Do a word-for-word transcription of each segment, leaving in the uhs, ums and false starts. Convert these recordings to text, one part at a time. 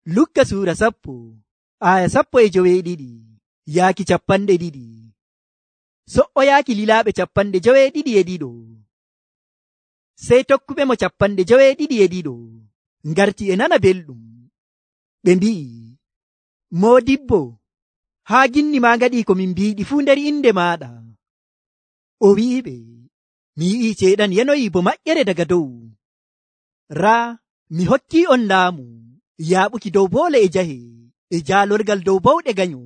Lukka suura sappo aya sappo e joweeɗiɗi yaaki capanɗe ɗiɗi. So'o yaaki lilaaɓe capanɗe joweeɗiɗi e ɗiɗo. Sey tokkuɓe mo capanɗe joweeɗiɗi e ɗiɗo ngarti e nana belɗum. Ɓe mbi'i, Moodibbo, haa ginni ma ngaɗi ko min mbiiɗi fuu nder inde maaɗa. O wi'iɓe, mi yi'i ceeɗan yanoyi bo maƴƴere daga dow. Raa, mi hokki on laamu yaaɓuki dow boole e jahe e jaalorgal dow bawɗe ganyo.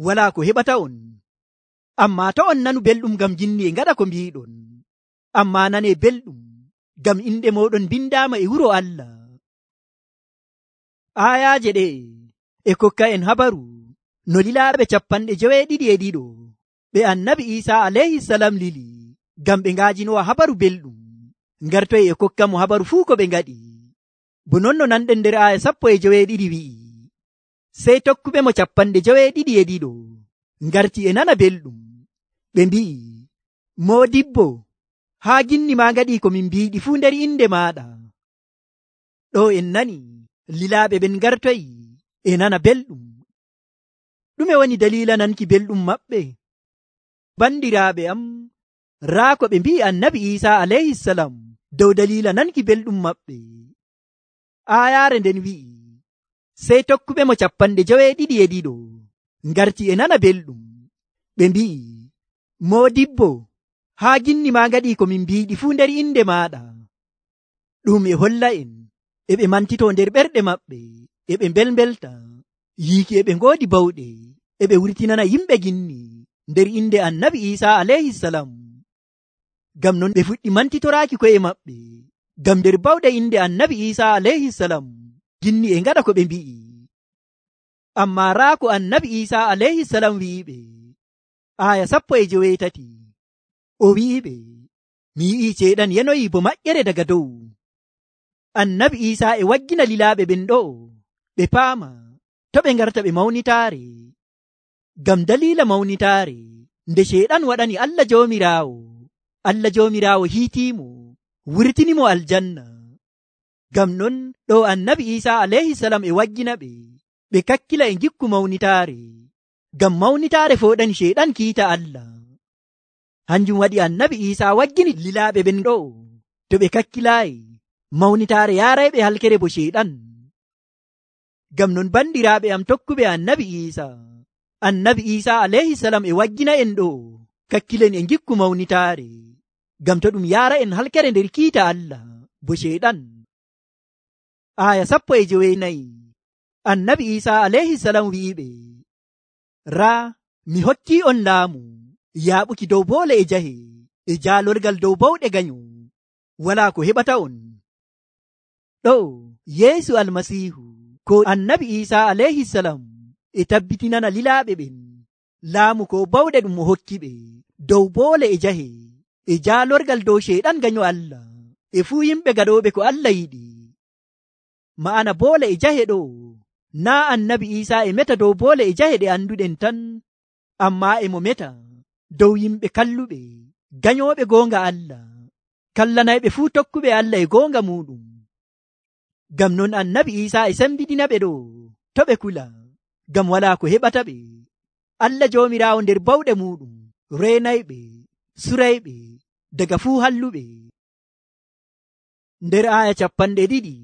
Walaa ko heɓata on. Ammaa to on nanu belɗum ngam ginni e ngaɗa ko mbiiɗon. Ammaa nane belɗum ngam inɗe mooɗon bindaama e wuro Allah. Aayaaje ɗe e kokka en habaru no lilaaɓe capanɗe joweeɗiɗi e ɗiɗo ɓe annabi Iisaa alayhisalam lili ngam ɓe ngaajinowa habaru belɗum ngartoy e kokka mo habaru fuu ko ɓe ngaɗi. Bo non no nanɗen nder aaya sappo e joweeɗiɗi wi'i, sey tokkuɓe mo capanɗe joweeɗiɗi e ɗiɗo ngarti e nana belɗum. Ɓe mbi'i, Moodibbo, haa ginni ma ngaɗi ko min mbiiɗi fuu nder inde maaɗa. Ɗo en nani lilaaɓe ɓen ngartoyi e nana belɗum. Ɗume woni dalila nanki belɗum maɓɓe? Bandiraaɓe am, raa ko ɓe mbi'i annabi Iisaa alayhisalam dow dalila nanki belɗum maɓɓe. Aayaare nden wi'i, sey tokkuɓe mo capanɗe joweeɗiɗi e ɗiɗo ngarti e nana belɗum. Ɓe mbi'i, Moodibbo, haa ginni ma ngaɗi ko min mbiiɗi fuu nder inde maaɗa. Ɗum e holla en e ɓe mantito nder ɓerɗe maɓɓe e ɓe mbelmbelta yiiki e ɓe ngoodi bawɗe e ɓe wurtinana yimɓe ginni nder inde annabi Iisaa alayhisalam. Ngam non ɓe fuɗɗi mantitoraaki ko'e maɓɓe ngam nder bawɗe inde annabi Iisaa alayhisalam ginni e ngaɗa ko ɓe mbi'i. Ammaa raa ko annabi Iisaa alayhisalam wi'iɓe aya sappo e joweetati. O wi'iɓe, mi yi'i ceeɗan yanoyi bo maƴƴere daga dow. Annabi Iisaa e waggina lilaaɓe ɓen ɗo ɓe paama to ɓe ngarta ɓe mawnitaare. Ngam dalila mawnitaare nde ceeɗan waɗani Allah Joomiraawo, Allah Joomiraawo hiitiimo wurtinimo aljanna. Ngam non ɗo annabi Iisaa alayhisalam e waggina ɓe ɓe kakkila e ngikku mawnitaare. Ngam mawnitaare fooɗani ceeɗan kiita Allah. Hanjum waɗi annabi Iisaa waggini lilaaɓe ɓen ɗo to ɓe kakkilaayi mawnitaare yaarayɓe halkere bo ceeɗan. Ngam non bandiraaɓe am tokkuɓe annabi Iisaa, annabi Iisaa alayhisalam e waggina en ɗo kakkilen e ngikku mawnitaare. Ngam to ɗum yaara en halkere nder kiita Allah bo ceeɗan. Aya sappo e joweenayi annabi Iisaa alayhisalam wi'iɓe, raa, mi hokki on laamu yaaɓuki dow boole e jahe e jaalorgal dow bawɗe ganyo. Walaa ko heɓata on. Ɗo Yeesu almasiihu ko annabi Iisaa alayhisalam e tabbitinana lilaaɓe ɓen laamu ko bawɗe ɗum o hokki ɓe dow boole e jahe e jaalorgal dow ceeɗan ganyo Allah e fuu yimɓe gaɗooɓe ko Allah yiɗi. Ma'ana boole e jahe ɗo naa annabi Iisaa e meta dow boole e jahe ɗe anduɗen tan, ammaa e mo meta dow yimɓe kalluɓe ganyooɓe goonga Allah, kallanayɓe fuu tokkuɓe Allah e goonga muɗum. Ngam non annabi Iisaa e sembidina ɓe ɗo to ɓe kula, ngam walaa ko heɓata ɓe. Allah Joomiraawo nder bawɗe muɗum reenayɓe, surayɓe daga fuu halluɓe. Nder aaya capanɗe ɗiɗi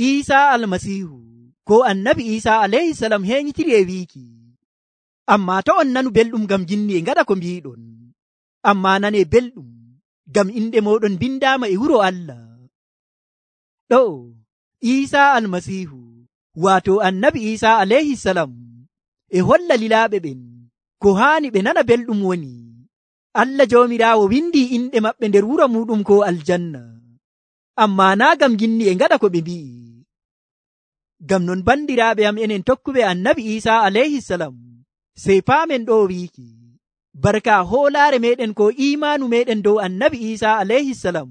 Iisaa almasiihu ko annabi Iisaa alayhisalam heeñitiri e wiiki, ammaa to on nanu belɗum ngam ginni e ngaɗa ko mbiiɗon. Ammaa nane belɗum ngam inɗe mooɗon bindaama e wuro Allah. Ɗo Iisaa almasiihu waato annabi Iisaa alayhisalam e holla lilaaɓe ɓen ko haani ɓe nana belɗum woni Allah Joomiraawo windi inɗe maɓɓe nder wuro muɗum ko aljanna, ammaa naa ngam ginni e ngaɗa ko ɓe mbi'i. Ngam non bandiraaɓe am enen tokkuɓe annabi Iisaa alayhisalam sey paamen ɗo wiiki barka hoolaare meɗen ko imaanu meɗen dow annabi Iisaa alayhisalam,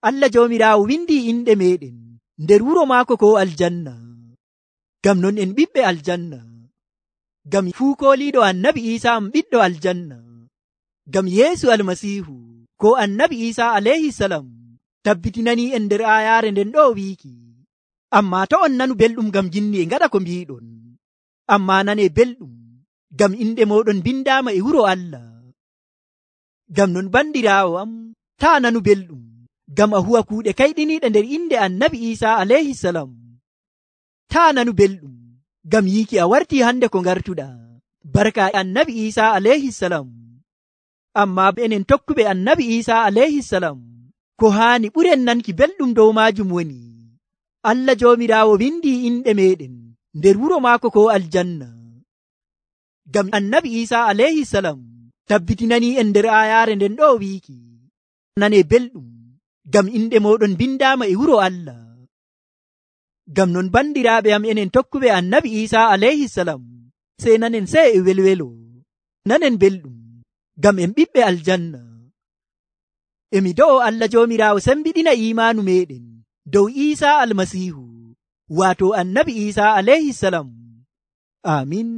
Allah Joomiraawo windi inɗe meɗen nder wuro maako ko aljanna. Ngam non en ɓiɓɓe aljanna, ngam fuu kooliiɗo annabi Iisaa am ɓiɗɗo aljanna. Ngam Yeesu almasiihu ko annabi Iisaa alayhisalam tabbitinani en nder aayaare nden ɗo wiiki, Ammaa to on nanu belɗum ngam jinni e ngaɗa ko mbiɗon, ammaa nane belɗum ngam inde moɗon bindaama e wuro Allah. Ngam non bandiraawo am, taa nanu belɗum ngam a huwa kuuɗe kayɗiniiɗe nder inde annabi Iisa alayhi salam. Taa nanu belɗum ngam yiiki a wartii hande ko ngartuɗa barka annabi Iisa alayhi salam. Ammaa enen tokkuɓe annabi Iisa alayhi salam, ko haani ɓuren nanki belɗum dow maajum woni Allah joomiraawo windii inɗe meɗen nder wuro maako ko aljanna. Ngam annabi Iisa alayhi salam tabbitinanii en nder aayaare nden ɗo wiiki, nane belɗum ngam inɗe moɗon bindaama e wuro Allah. Ngam non bandiraaɓe am, enen tokkuɓe annabi Iisa alayhi salam, sey nanen sey e welwelo, nanen belɗum ngam en ɓiɓɓe aljanna. Emi do'o Allah joomiraawo sembiɗina imaanu meɗen dow Iisa almasiihu, waato annabi Iisa alayhi salam. Amin.